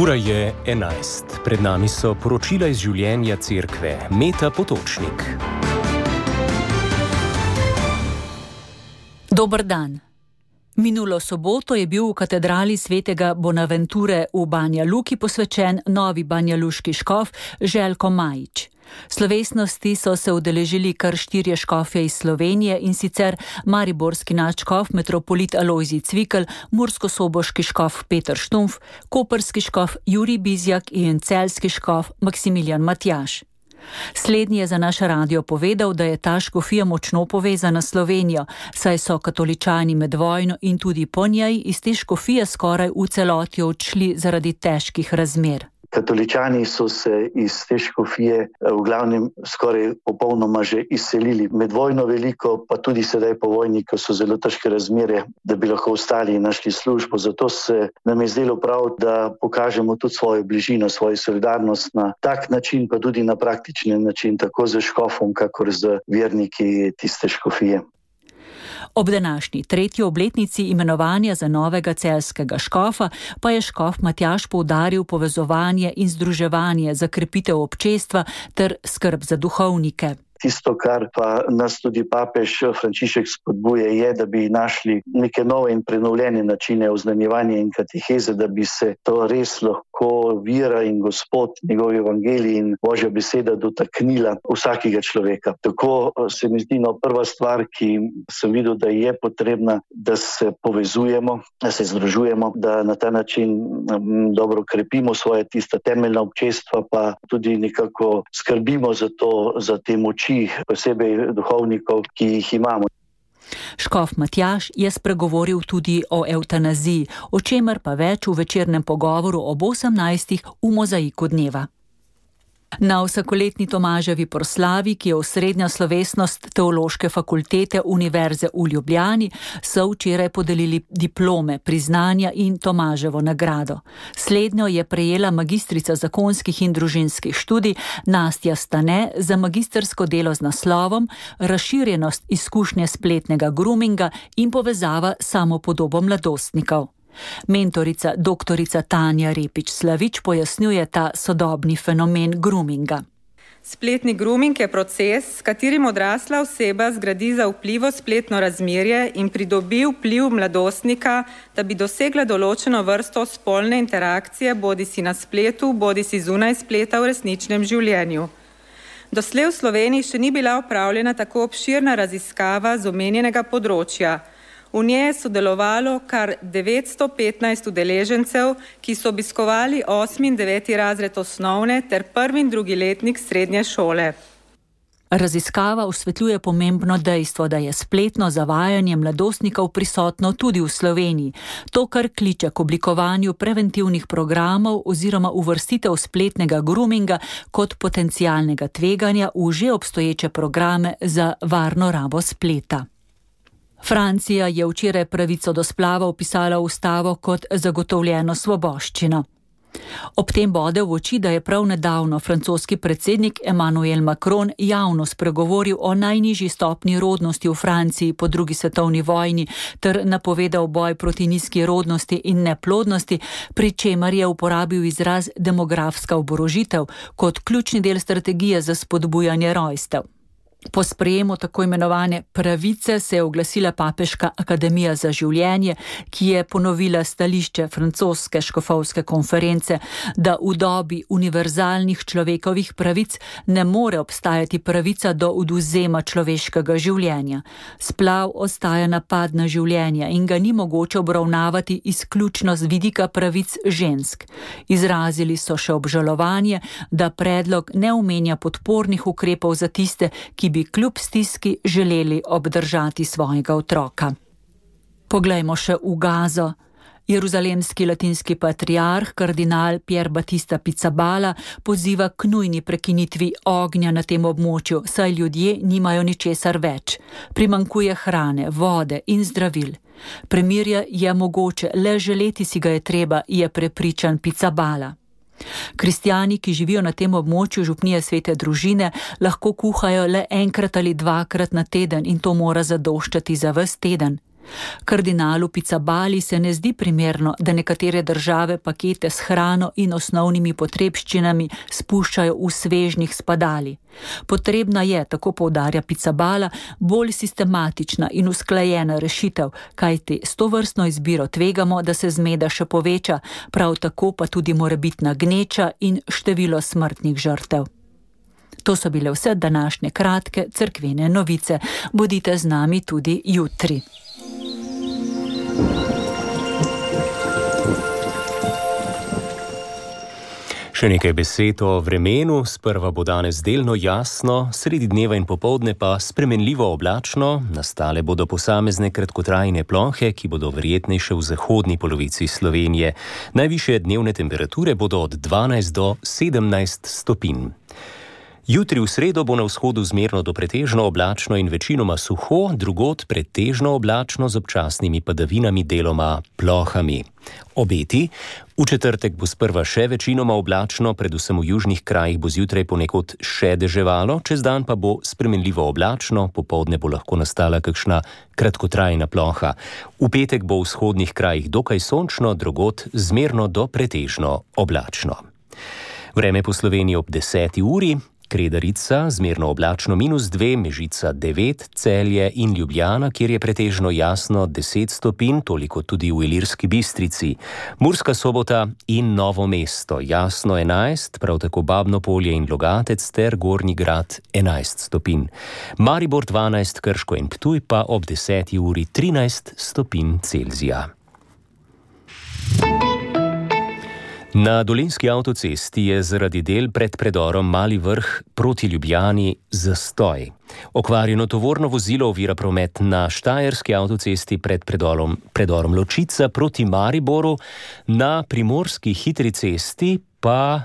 Ura je 11. Pred nami so poročila iz življenja cerkve. Meta Potočnik. Dober dan. Minulo soboto je bil v katedrali svetega Bonaventure v Banja Luki posvečen novi banjaluški škof Željko Majič. Slovesnosti so se udeležili kar 4 škofje iz Slovenije, in sicer mariborski nadškof metropolit Alojzij Cvikl, murskosoboški škof Peter Štumpf, koprski škof Jurij Bizjak in celjski škof Maksimilijan Matjaž. Slednji je za naš radio povedal, da je ta škofija močno povezana s Slovenijo, saj so katoličani med vojno in tudi po njej iz te škofije skoraj v celoti odšli zaradi težkih razmer. Katoličani so se iz te škofije v glavnem skoraj popolnoma že izselili. Med vojno veliko, pa tudi sedaj po vojni, ko so zelo težke razmere, da bi lahko ostali in našli službo. Zato se nam je zdelo prav, da pokažemo tudi svojo bližino, svojo solidarnost na tak način, pa tudi na praktičen način, tako z škofom, kakor z verniki tiste škofije. Ob današnji 3. obletnici imenovanja za novega celjskega škofa pa je škof Matjaž poudaril povezovanje in združevanje za krepitev občestva ter skrb za duhovnike. Tisto, kar pa nas tudi papež Frančišek spodbuje, je, da bi našli neke nove in prenovljene načine oznanjevanja in kateheze, da bi se to res lahko vera in Gospod, njegov evangelij in Božja beseda dotaknila vsakega človeka. Tako se mi zdi prva stvar, ki sem videl, da je potrebna, da se povezujemo, da se združujemo, da na ta način dobro krepimo svoje tista temeljna občestva, pa tudi nekako skrbimo za te moči, posebej duhovnikov, ki jih imamo. Škof Matjaž je spregovoril tudi o evtanaziji, o čemer pa več v večernem pogovoru ob 18. v Mozaiku dneva. Na vsakoletni Tomaževi proslavi, ki je osrednja slovesnost Teološke fakultete Univerze v Ljubljani, so včeraj podelili diplome, priznanja in Tomaževo nagrado. Slednjo je prejela magistrica zakonskih in družinskih študij Nastja Stane za magistrsko delo z naslovom Razširjenost izkušnje spletnega groominga in povezava s samopodobo mladostnikov. Mentorica doktorica Tanja Repič-Slavič pojasnjuje ta sodobni fenomen groominga. Spletni grooming je proces, s katerim odrasla oseba zgradi zaupljivo spletno razmerje in pridobi vpliv mladostnika, da bi dosegla določeno vrsto spolne interakcije, bodisi na spletu, bodisi zunaj spleta v resničnem življenju. Doslej v Sloveniji še ni bila opravljena tako obširna raziskava z omenjenega področja. V njej je sodelovalo kar 915 udeležencev, ki so obiskovali 8. in 9. razred osnovne ter 1. in 2. letnik srednje šole. Raziskava osvetljuje pomembno dejstvo, da je spletno zavajanje mladostnikov prisotno tudi v Sloveniji. To, kar kliče k oblikovanju preventivnih programov oziroma uvrstitev spletnega groominga kot potencialnega tveganja v že obstoječe programe za varno rabo spleta. Francija je včeraj pravico do splava vpisala v ustavo kot zagotovljeno svoboščino. Ob tem bode v oči, da je prav nedavno francoski predsednik Emmanuel Macron javno spregovoril o najnižji stopnji rodnosti v Franciji po 2. svetovni vojni ter napovedal boj proti nizki rodnosti in neplodnosti, pri čemer je uporabil izraz demografska oborožitev kot ključni del strategije za spodbujanje rojstev. Po sprejemu tako imenovane pravice se je oglasila Papeška akademija za življenje, ki je ponovila stališče francoske škofovske konference, da v dobi univerzalnih človekovih pravic ne more obstajati pravica do odvzema človeškega življenja. Splav ostaja napad na življenje in ga ni mogoče obravnavati izključno z vidika pravic žensk. Izrazili so še obžalovanje, da predlog ne omenja podpornih ukrepov za tiste, ki bi kljub stiski želeli obdržati svojega otroka. Poglejmo še v Gazo. Jeruzalemski latinski patriarh kardinal Pier Battista Pizzaballa poziva k nujni prekinitvi ognja na tem območju, saj ljudje nimajo ničesar več. Primanjkuje hrane, vode in zdravil. Premirje je mogoče, le želeti si ga je treba, je prepričan Pizzaballa. Kristjani, ki živijo na tem območju župnije Svete družine, lahko kuhajo le enkrat ali dvakrat na teden in to mora zadoščati za ves teden. Kardinalu Pizzabali se ne zdi primerno, da nekatere države pakete s hrano in osnovnimi potrebščinami spuščajo v svežnih s padali. Potrebna je, tako poudarja Pizzabala, bolj sistematična in usklajena rešitev, kajti s tovrstno izbiro tvegamo, da se zmeda še poveča, prav tako pa tudi morebitna gneča in število smrtnih žrtev. To so bile vse današnje kratke cerkvene novice. Bodite z nami tudi jutri. Še nekaj besed o vremenu. Sprva bo danes delno jasno, sredi dneva in popoldne pa spremenljivo oblačno. Nastale bodo posamezne kratkotrajne plohe, ki bodo verjetnejše v zahodni polovici Slovenije. Najvišje dnevne temperature bodo od 12 do 17 stopinj. Jutri v sredo bo na vzhodu zmerno do pretežno oblačno in večinoma suho, drugod pretežno oblačno z občasnimi padavinami, deloma plohami. Obeti: v četrtek bo sprva še večinoma oblačno, predvsem v južnih krajih bo zjutraj ponekod še deževalo, čez dan pa bo spremenljivo oblačno, popoldne bo lahko nastala kakšna kratkotrajna ploha. V petek bo v vzhodnih krajih dokaj sončno, drugod zmerno do pretežno oblačno. Vreme po Sloveniji ob 10. uri: Kredarica, zmerno oblačno -2, Mežica 9, Celje in Ljubljana, kjer je pretežno jasno 10 stopinj, toliko tudi v Ilirski Bistrici. Murska Sobota in Novo mesto, jasno 11, prav tako Babno Polje in Logatec ter Gornji Grad 11 stopinj. Maribor 12, Krško in Ptuj pa ob 10. uri 13 stopinj Celzija. Na Dolenjski avtocesti je zaradi del pred predorom Mali Vrh proti Ljubljani zastoj. Okvarjeno tovorno vozilo ovira promet na Štajerski avtocesti pred predorom Ločica proti Mariboru, na Primorski hitri cesti pa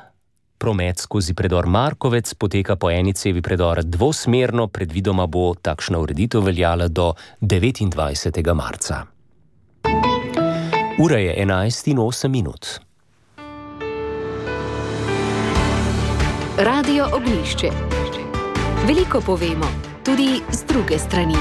promet skozi predor Markovec poteka po eni cevi predora dvosmerno, predvidoma bo takšna ureditev veljala do 29. marca. Ura je 11:08. Radio Oglišče. Veliko povemo, tudi z druge strani.